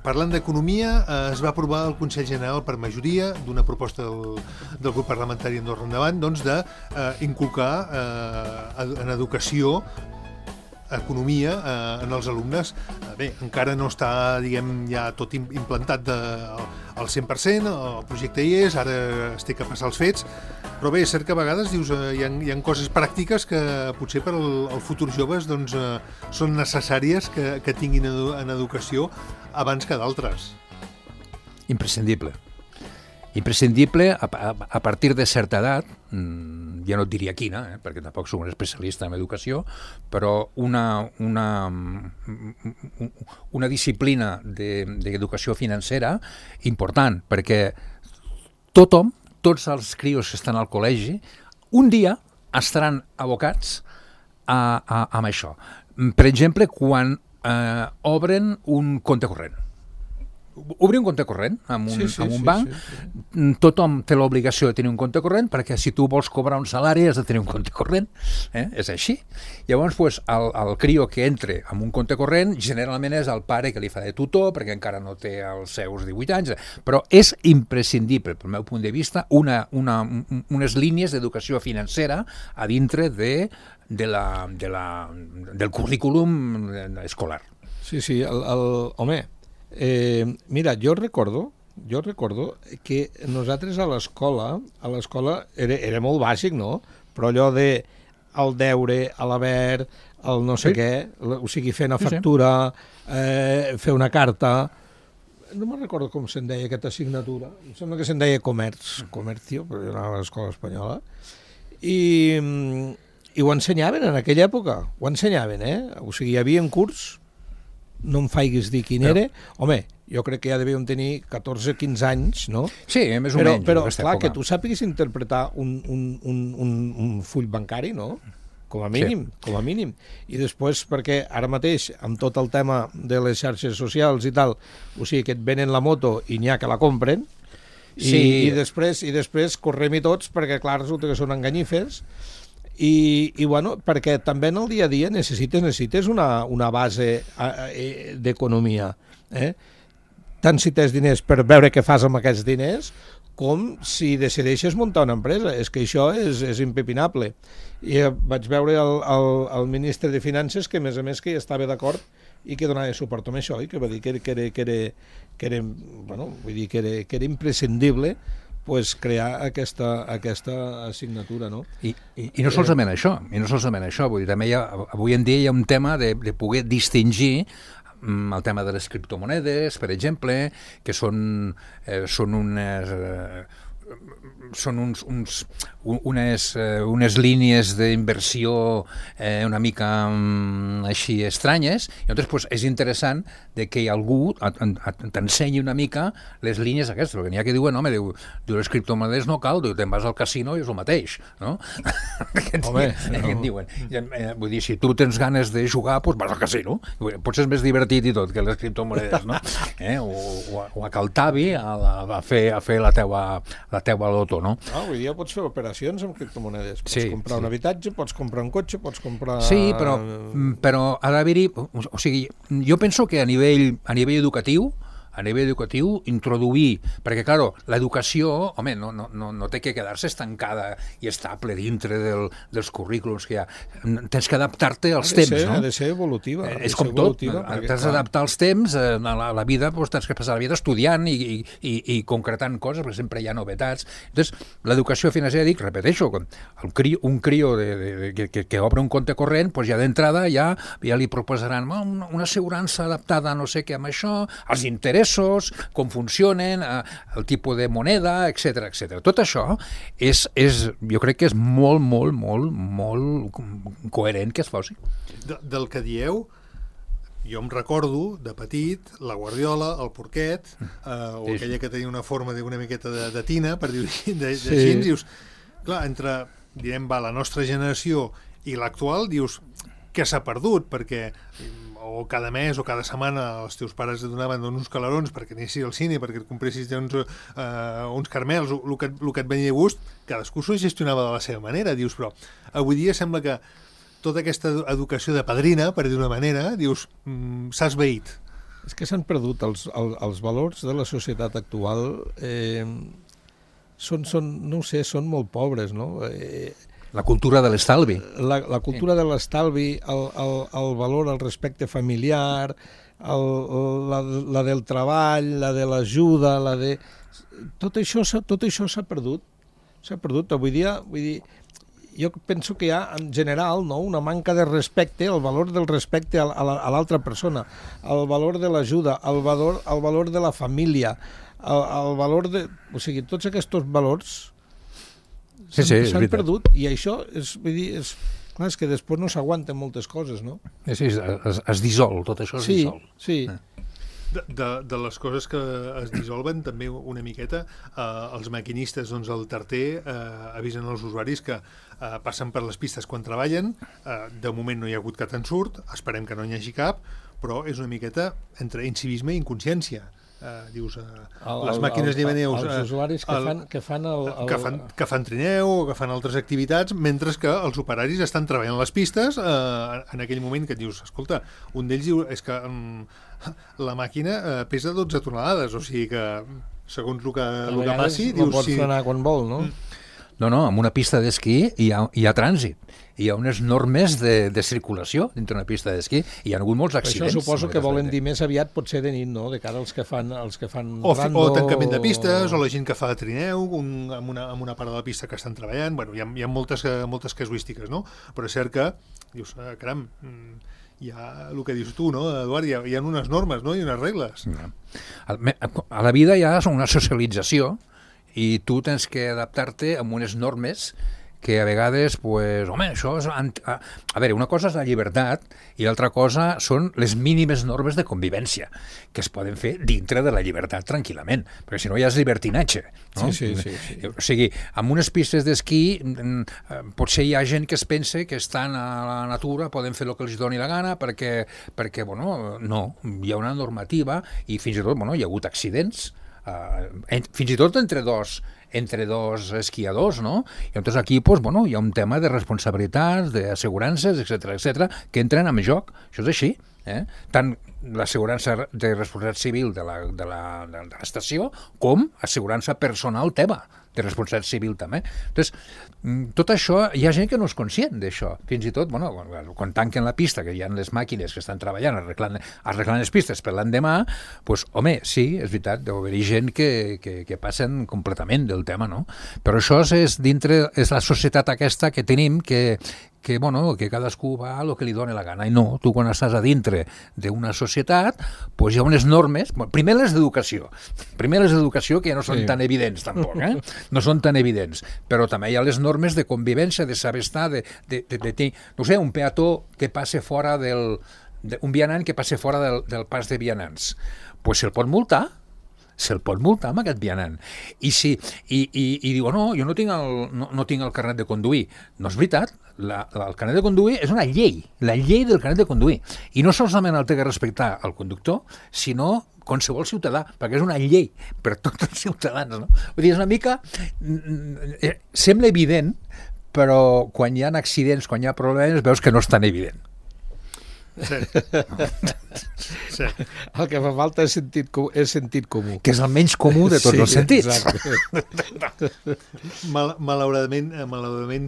Parlant d'economia, es va aprovar al Consell General per majoria d'una proposta del grup parlamentari Andorra Endavant d'inculcar en educació economia en els alumnes. Bé, encara no està, diguem, ja tot implantat al 100%, el projecte hi és, ara es té que passar els fets, però bé, és cert que a vegades dius, hi ha coses pràctiques que potser per al futur joves doncs, són necessàries que tinguin en educació abans que d'altres. Imprescindible. Imprescindible a partir de certa edat, ja no et diria quina, perquè tampoc soc un especialista en educació, però una disciplina d'educació financera important, perquè tots els crios que estan al col·legi, un dia estaran abocats a això. Per exemple, quan obren un compte corrent. Obrir un compte corrent en un banc, tothom té l'obligació de tenir un compte corrent perquè si tu vols cobrar un salari has de tenir un compte corrent, és així. Llavors, el crio que entre en un compte corrent generalment és el pare que li fa de tutor perquè encara no té els seus 18 anys, però és imprescindible, pel meu punt de vista, unes línies d'educació financera a dintre del currículum escolar. Sí, home, mira, jo recordo que nosaltres a l'escola era molt bàsic, no? Però allò de el deure, l'haver, el no sé què, o sigui, fer una factura, fer una carta, no me'n recordo com se'n deia aquesta assignatura, em sembla que se'n deia comercio, però jo anava a l'escola espanyola, i ho ensenyaven en aquella època, ho ensenyaven, o sigui, hi havia un curs, no em faiguis dir quin era, home, jo crec que ja devíem tenir 14-15 anys, no? Sí, més o menys. Però clar, que tu sàpigues interpretar un full bancari, no? Com a mínim. I després, perquè ara mateix, amb tot el tema de les xarxes socials i tal, o sigui, que et venen la moto i n'hi ha que la compren, i després correm-hi tots, perquè clar, resulta que són enganyifes, i bueno, perquè també en el dia a dia necessites una base d'economia, tant si tens diners per veure què fas amb aquests diners com si decideixes muntar una empresa. És que això és impepinable. I vaig veure el ministre de Finances que a més que hi estava d'acord i que donava suport amb això i que va dir que era imprescindible crear aquesta assignatura, no? I no solament això, vull dir, també avui en dia hi ha un tema de poder distingir el tema de les criptomonedes, per exemple, que són són unes línies d'inversió una mica així estranyes, i llavors pues, és interessant de que algú t'ensenyi una mica les línies aquestes, perquè n'hi ha que diuen, home, diu les criptomonedes no cal, te'n vas al casino i és el mateix, no? Home, no. Diuen. Vull dir, si tu tens ganes de jugar, doncs vas al casino, potser és més divertit i tot que les criptomonedes, no? O a Caltavi a fer la teua loto, no? Avui dia pots fer operacions amb criptomonedes. Pots comprar un habitatge, pots comprar un cotxe, pots comprar... Sí, però ha d'haver-hi... O sigui, jo penso que a nivell educatiu, introduir, perquè, clar, l'educació, home, no té que quedar-se estancada i estable dintre dels currículums que hi ha. Tens que adaptar-te als temps, no? Ha de ser evolutiva. És com tot, t'has d'adaptar als temps, a la vida, tens que passar la vida estudiant i concretant coses, perquè sempre hi ha novetats. Llavors, l'educació financera, repeteixo, un crió que obre un compte corrent, ja d'entrada ja li proposaran una assegurança adaptada a no sé què amb això, els interessos, com funcionen, el tipus de moneda, etc. Tot això jo crec que és molt, molt, molt, molt coherent que es faci. Del que dieu, jo em recordo, de petit, la guardiola, el porquet, o aquella que tenia una forma d'una miqueta de tina, per dir-ho així, dius, clar, entre, la nostra generació i l'actual, dius, que s'ha perdut, perquè o cada mes o cada setmana els teus pares et donaven uns calarons perquè anessis al cine, perquè et compressis uns caramels, el que et venia de gust, cadascú s'ho gestionava de la seva manera, dius, però avui dia sembla que tota aquesta educació de padrina, per dir-ho d'una manera, dius, s'ha esvaït. És que s'han perdut els valors de la societat actual, són molt pobres, no? La cultura de l'estalvi. La cultura de l'estalvi, el valor, el respecte familiar, la del treball, la de l'ajuda, tot això s'ha perdut. S'ha perdut. Avui dia, jo penso que hi ha, en general, una manca de respecte, el valor del respecte a l'altra persona, el valor de l'ajuda, el valor de la família, el valor de... O sigui, tots aquests valors s'han perdut, i això és que després no s'aguanten moltes coses, no? Sí, es dissol, tot això es dissol. Sí. De les coses que es dissolven també una miqueta, els maquinistes, el tarter, avisen als usuaris que passen per les pistes quan treballen, de moment no hi ha hagut cap ensurt, esperem que no n'hi hagi cap, però és una miqueta entre incivisme i inconsciència. Dius, les màquines llevaneus, els usuaris que fan trineu o que fan altres activitats, mentre que els operaris estan treballant les pistes en aquell moment que et dius, escolta, un d'ells diu, és que la màquina pesa 12 tonelades, o sigui que segons el que passi no pot frenar quan vol, no? No, en una pista d'esquí hi ha trànsit, hi ha unes normes de circulació dintre una pista d'esquí, i hi ha hagut molts accidents. Això suposo que volen dir més aviat potser de nit, no?, de cara als que fan rando... O tancament de pistes, o la gent que fa trineu amb una part de la pista que estan treballant. Bueno, hi ha moltes casuístiques, no? Però és cert que, dius, caram, hi ha el que dius tu, no, Eduard, hi ha unes normes, no?, i unes regles. A la vida hi ha una socialització, i tu tens que adaptar-te amb unes normes que a vegades, això és... A veure, una cosa és la llibertat i l'altra cosa són les mínimes normes de convivència que es poden fer dintre de la llibertat tranquil·lament, perquè si no ja és llibertinatge, no? Sí. O sigui, amb unes pistes d'esquí potser hi ha gent que es pensa que estan a la natura, poden fer el que els doni la gana perquè no, hi ha una normativa i fins i tot, hi ha hagut accidents, fins i tot entre dos esquiadors, no? I llavors aquí hi ha un tema de responsabilitats, d'assegurances, etc que entren en joc. Això és així. Tant l'assegurança de responsabilitat civil de l'estació com assegurança personal teva, de responsabilitat civil també. Entonces, tot això, hi ha gent que no és conscient d'això. Fins i tot, quan tanquen la pista, que hi ha les màquines que estan treballant arreglant les pistes per l'endemà, home, sí, és veritat, deu haver-hi gent que passen completament del tema, no? Però això és la societat aquesta que tenim, que que cadascú va a lo que li dona la gana. I no, tu quan estàs a dintre d'una societat, doncs hi ha unes normes, primer les d'educació, que ja no són tan evidents tampoc, no són tan evidents, però també hi ha les normes de convivència, de saber estar, no sé, un peató que passe fora un vianant que passe fora del pas de vianants, doncs se'l pot multar amb aquest vianant. I diu, no, jo no tinc el carnet de conduir. No és veritat, el carnet de conduir és una llei, la llei del carnet de conduir. I no solament el té que respectar el conductor, sinó qualsevol ciutadà, perquè és una llei per tots els ciutadans, no? Vull dir, és una mica... Sembla evident, però quan hi ha accidents, quan hi ha problemes, veus que no és tan evident. Sí. El que fa falta és sentit comú. Que és el menys comú de tots els sentits. Malauradament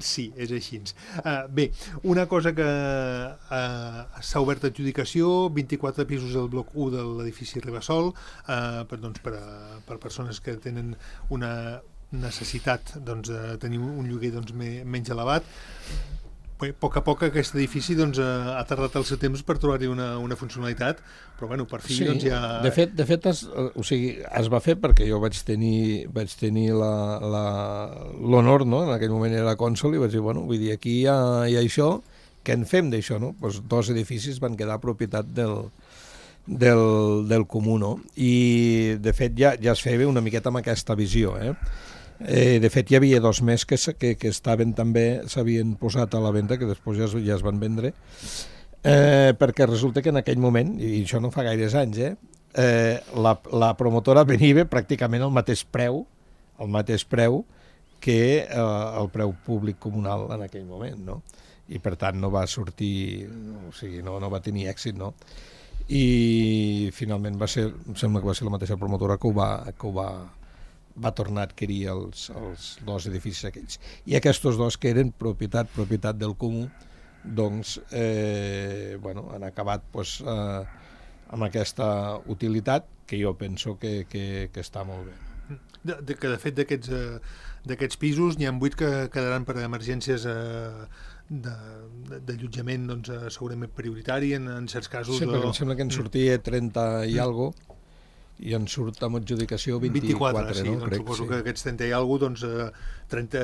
sí, és així. Bé, una cosa que s'ha obert adjudicació, 24 pisos del bloc 1 de l'edifici Ribasol, per persones que tenen una necessitat de tenir un lloguer menys elevat. Bé, a poc aquest edifici ha tardat el seu temps per trobar-hi una funcionalitat, però bueno, per fi ja... De fet es va fer perquè jo vaig tenir l'honor, no? En aquell moment era cònsol i vaig dir, bueno, vull dir, aquí hi ha això, què en fem d'això, no? Pues 2 edificis van quedar propietat del comú, no? I de fet ja es feia una miqueta amb aquesta visió, de fet hi havia 2 més que estaven també, s'havien posat a la venda, que després ja es van vendre, perquè resulta que en aquell moment, i això no fa gaires anys, la promotora venia pràcticament al mateix preu que el preu públic comunal en aquell moment, no? I per tant no va sortir, o sigui, no va tenir èxit, no? I finalment em sembla que va ser la mateixa promotora que ho va tornar a adquirir els 2 edificis aquells. I aquests 2 que eren propietat del comú, doncs, han acabat amb aquesta utilitat que jo penso que està molt bé. De fet, d'aquests pisos n'hi ha 8 que quedaran per emergències d'allotjament segurament prioritari en certs casos. Sí, perquè em sembla que en sortia 30 i alguna cosa, i en surt amb adjudicació 24, sí, no? Crec, suposo que aquests 30 i alguna cosa,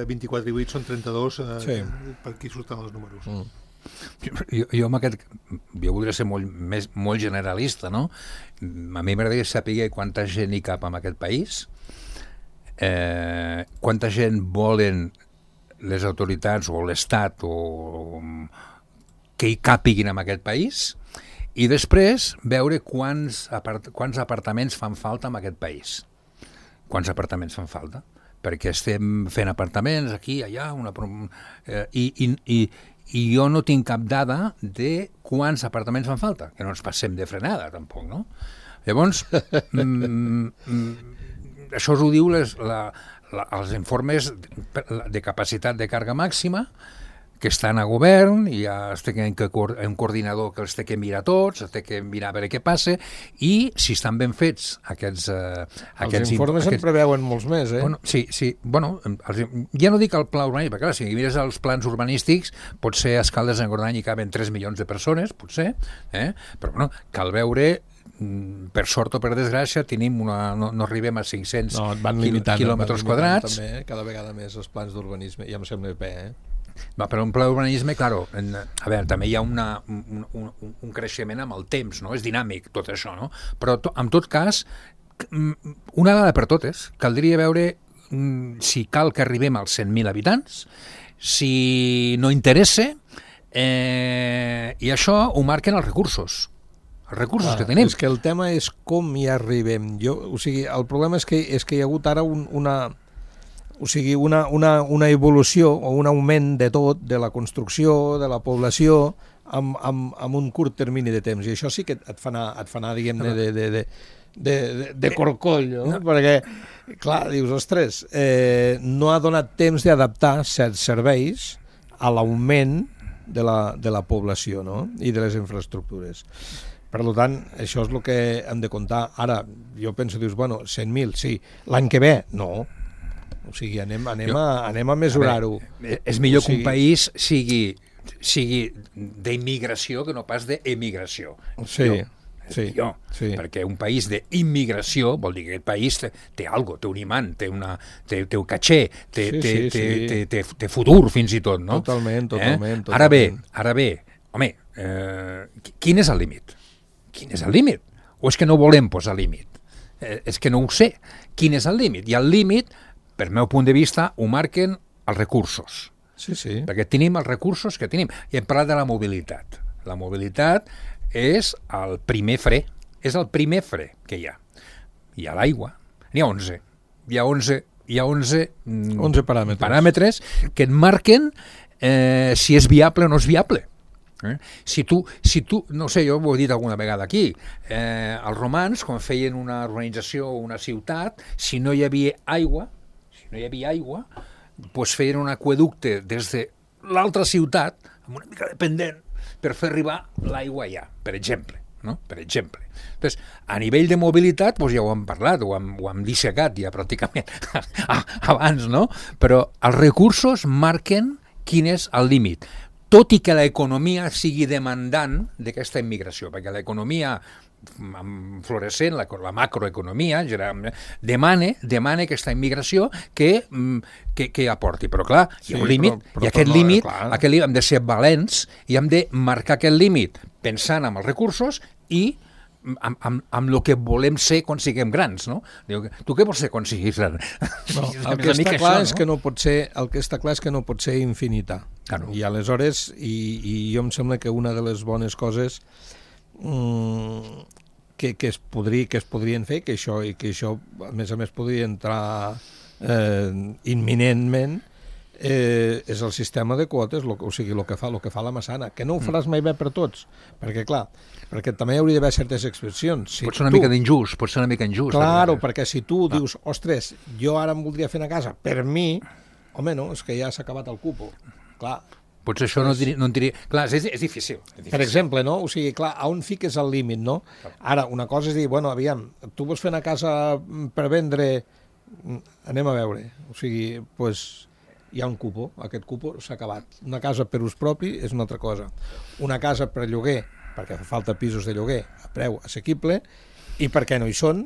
24 i 8 són 32, per aquí surten els números. Jo voldria ser molt generalista, no? A mi m'agradaria saber quanta gent hi cap en aquest país, quanta gent volen les autoritats o l'Estat que hi càpiguin en aquest país, i després veure quants apartaments fan falta en aquest país. Quants apartaments fan falta? Perquè estem fent apartaments aquí, allà, i jo no tinc cap dada de quants apartaments fan falta, que no ens passem de frenada, tampoc, no? Llavors, això us ho diu els informes de capacitat de càrrega màxima, que estan a govern, i ja es té un coordinador que els té que mirar tots, es té que mirar a veure què passa, i si estan ben fets aquests informes en preveuen molts més, Bueno, sí, ja no dic el pla urbanístic, perquè clar, si mires els plans urbanístics, potser a Escaldes en Gordany hi caben 3 milions de persones, potser, però bueno, cal veure, per sort o per desgràcia, no arribem a 500 quilòmetres quadrats. També, cada vegada més els plans d'urbanisme, ja em sembla bé, Però un pla d'urbanisme, claro, a veure, també hi ha un creixement amb el temps, no? És dinàmic tot això, no? Però en tot cas, una vegada per totes, caldria veure si cal que arribem als 100.000 habitants, si no interessa, i això ho marquen els recursos que tenim. És que el tema és com hi arribem. El problema és que hi ha hagut ara una evolució o un augment de tot, de la construcció, de la població, amb un curt termini de temps. I això sí que et fa anar diguem-ne, de corcoll, no? Perquè, clar, dius, ostres, no ha donat temps d'adaptar certs serveis a l'augment de la població, no? I de les infraestructures. Per tant, això és el que hem de comptar. Ara, jo penso, dius, bueno, 100.000, sí. L'any que ve, no. O sigui, anem a mesurar-ho. És millor que un país sigui sigui d'immigració que no pas d'emigració. Sí. Perquè un país d'immigració vol dir que aquest país té algo, té un imant, té un caché, té futur fins i tot, no? Totalment. Ara bé, home, quin és el límit? Quin és el límit? O és que no volem posar límit? És que no ho sé. Quin és el límit? I el límit, per meu punt de vista, ho marquen els recursos. Sí. Perquè tenim els recursos que tenim. I hem parlat de la mobilitat. La mobilitat és el primer fre. És el primer fre que hi ha. Hi ha l'aigua. N'hi ha 11. Hi ha 11 paràmetres que et marquen si és viable o no és viable. Si tu, no sé, jo ho he dit alguna vegada aquí, els romans, quan feien una urbanització o una ciutat, si no hi havia aigua, doncs feien un aqüeducte des de l'altra ciutat, amb una mica de pendent, per fer arribar l'aigua allà, per exemple. No? Per exemple. Entonces, a nivell de mobilitat, doncs ja ho hem parlat, ho hem dissecat ja pràcticament abans, no? Però els recursos marquen quin és el límit. Tot i que l'economia sigui demandant d'aquesta immigració, perquè l'economia florescent, la macroeconomia, demana aquesta immigració que aporti. Però clar, hi ha un límit, i aquest límit hem de ser valents i hem de marcar aquest límit pensant en els recursos i amb el que volem ser quan siguem grans, no? Diu, tu què vols ser quan siguis gran? No, el que està clar és que no pot ser infinita. Claro. I aleshores, i jo em sembla que una de les bones coses que es podrien fer, que això a més podria entrar imminentment, és el sistema de quotes, o sigui, el que fa la Massana, que no ho faràs mai bé per tots, perquè clar, perquè també hi hauria d'haver certes excepcions. Pot ser una mica injust. Claro, perquè si tu dius, ostres, jo ara em voldria fer una casa, per mi, home, no, és que ja s'ha acabat el cupo. Clar. Potser això no en diria... Clar, és difícil. Per exemple, no? O sigui, clar, on fiques el límit, no? Ara, una cosa és dir, bueno, aviam, tu vols fer una casa per vendre, anem a veure. O sigui, doncs hi ha un cupo, aquest cupo s'ha acabat. Una casa per ús propi és una altra cosa. Una casa per lloguer, perquè fa falta pisos de lloguer a preu assequible, i per què no hi són,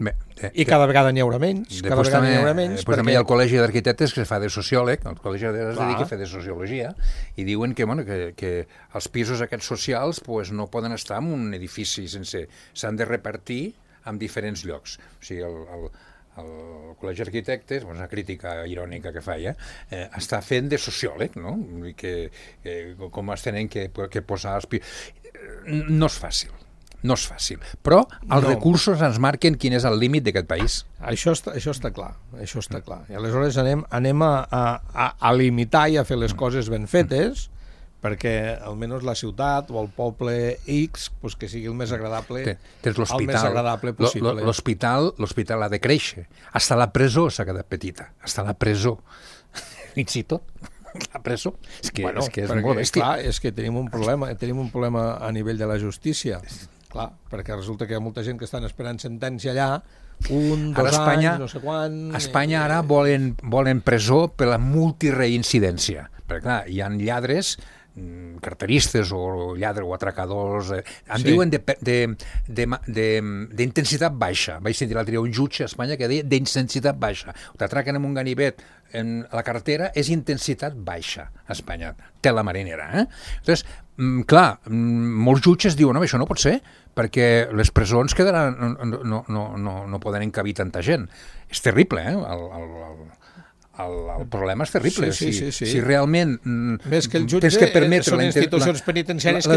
i cada vegada n'hi haurà menys, Després també hi ha el Col·legi d'Arquitectes que fa de sociòleg, el Col·legi es dedica a fer de sociologia, i diuen que els pisos aquests socials no poden estar en un edifici s'han de repartir en diferents llocs. O sigui, el Col·legi d'Arquitectes, una crítica irònica que feia, està fent de sociòleg, no? Com es tenen que posar els pisos. No és fàcil. No és fàcil, però els recursos ens marquen quin és el límit d'aquest país. Això està clar. I aleshores anem a limitar i a fer les coses ben fetes, perquè almenys la ciutat o el poble X que sigui el més agradable, possible. L'hospital ha de créixer. Hasta la presó s'ha quedat petita. Hasta la presó. Fins i tot. La presó. És que és molt bèstia. Clar, és que tenim un problema a nivell de la justícia. Clar, perquè resulta que hi ha molta gent que estan esperant sentència allà, 1, 2 anys, no sé quan... A Espanya ara volen presó per la multireincidència. Perquè clar, hi ha lladres, carteristes o lladres o atracadors, diuen d'intensitat baixa. Vaig sentir l'altre dia un jutge a Espanya que deia d'intensitat baixa. T'atraquen amb un ganivet en la carretera, és intensitat baixa a Espanya. Té la marinera, Entonces, clar, molts jutges diuen, això no pot ser, perquè les presons no poden encabir tanta gent. És terrible, el problema és terrible. Si realment tens que permetre la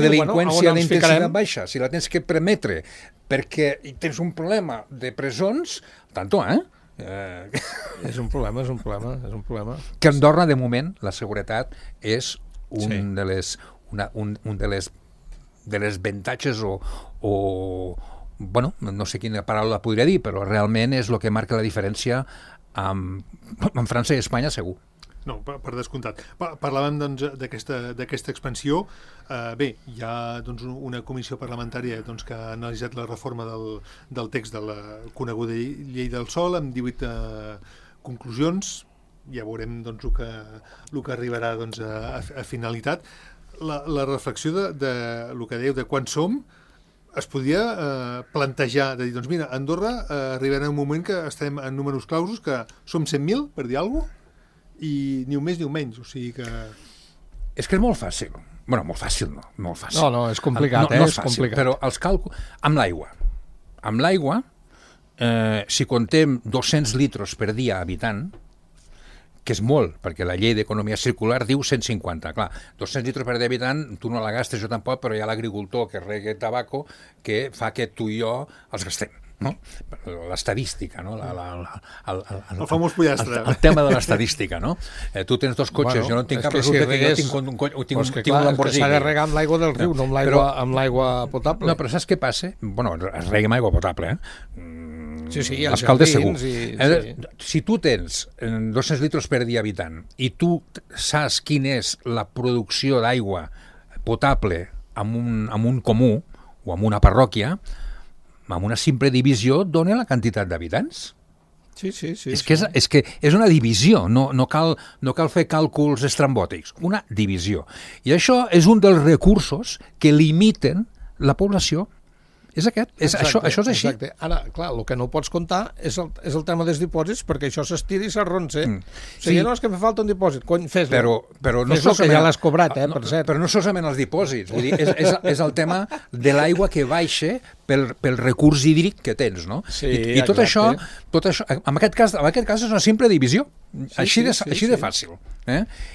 delinqüència d'intensitat baixa, si la tens que permetre perquè tens un problema de presons, tanto, És un problema. Que a Andorra, de moment, la seguretat és un de les avantatges o no sé quina paraula podria dir, però realment és el que marca la diferència en França i Espanya, segur. No, per descomptat. Parlàvem d'aquesta expansió. Bé, hi ha una comissió parlamentària que ha analitzat la reforma del text de la coneguda llei del sòl amb 18 conclusions. Ja veurem el que arribarà a finalitat. la reflexió de el que dèieu, de quan som, es podia plantejar, de dir, doncs mira, a Andorra arribarà un moment que estem en números clausos, que som 100.000, per dir alguna cosa, i ni un més ni un menys, o sigui que... És que és molt fàcil. Bueno, molt fàcil no, molt fàcil. No, és complicat, no és és fàcil, complicat. però els càlculs... Amb l'aigua, si contem 200 litres per dia habitant, que és molt, perquè la llei d'economia circular diu 150. Clar, 200 litres per dia habitant, tu no la gastes, jo tampoc, però hi ha l'agricultor que rega tabaco que fa que tu i jo els gastem. No? L'estadística, no? El famós pollastre. El tema de l'estadística, no? Tu tens dos cotxes, jo no en tinc cap, resulta que jo tinc un Lamborghini. S'ha de regar amb l'aigua del riu, no amb l'aigua potable. No, però saps què passa? Bueno, es rega amb aigua potable, Sí, els caldes segur. Sí. Si tu tens 200 litres per dia habitant i tu saps quina és la producció d'aigua potable en un comú o en una parròquia, amb una simple divisió dona la quantitat d'habitants. Sí. És que és una divisió, no cal fer càlculs estrambòtics, una divisió. I això és un dels recursos que limiten la població. És aquest, això és així. Exacte. Ara, clar, el que no pots comptar és el tema dels dipòsits, perquè això s'estira i s'arronsa. O sigui, no és que me falta un dipòsit, cony, fes-lo. Però no fes-lo, que ja l'has cobrat, per cert. Però no solament els dipòsits, vull dir, és el tema de l'aigua que baixa pel recurs hídric que tens, no? Sí, I tot això, en aquest cas és una simple divisió, així de fàcil.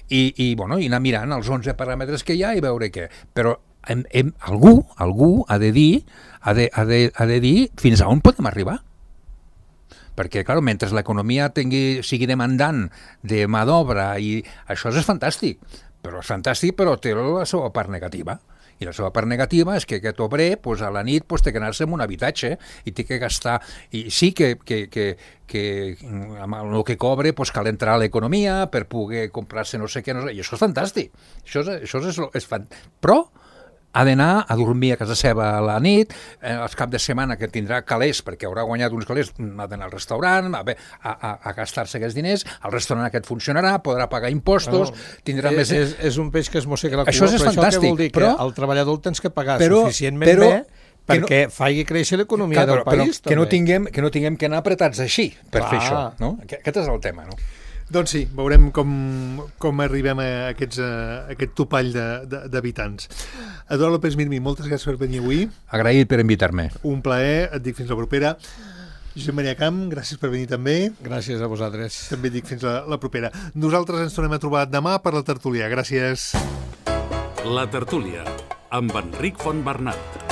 I anar mirant els 11 paràmetres que hi ha i veure què. Però algú ha de dir fins a on podem arribar. Perquè, clar, mentre l'economia sigui demandant de mà d'obra, i això és fantàstic, però té la seva part negativa. I la seva part negativa és que aquest obrer a la nit té que anar-se en un habitatge i té que gastar... I sí que amb el que cobre cal entrar a l'economia per poder comprar-se no sé què, i això és fantàstic. Això és fantàstic. Però ha d'anar a dormir a casa seva a la nit, els caps de setmana que tindrà calés, perquè haurà guanyat uns calés, ha d'anar al restaurant, a gastar-se aquests diners, el restaurant aquest funcionarà, podrà pagar impostos, tindrà més... És un peix que es mossega la cua, això és però fantàstic, això què vol dir? Que al treballador el tens que pagar suficientment bé perquè faci créixer l'economia del país. Que no tinguem que anar apretats així per fer això. Aquest és el tema, no? Doncs sí, veurem com arribem a aquest topall d'habitants. Eduard López Mirmi, moltes gràcies per venir avui. Agraït per invitar-me. Un plaer, et dic fins la propera. Josep Maria Camp, gràcies per venir també. Gràcies a vosaltres. També dic fins la propera. Nosaltres ens tornem a trobar demà per la tertúlia. Gràcies. La tertúlia, amb Enric Fontbernat.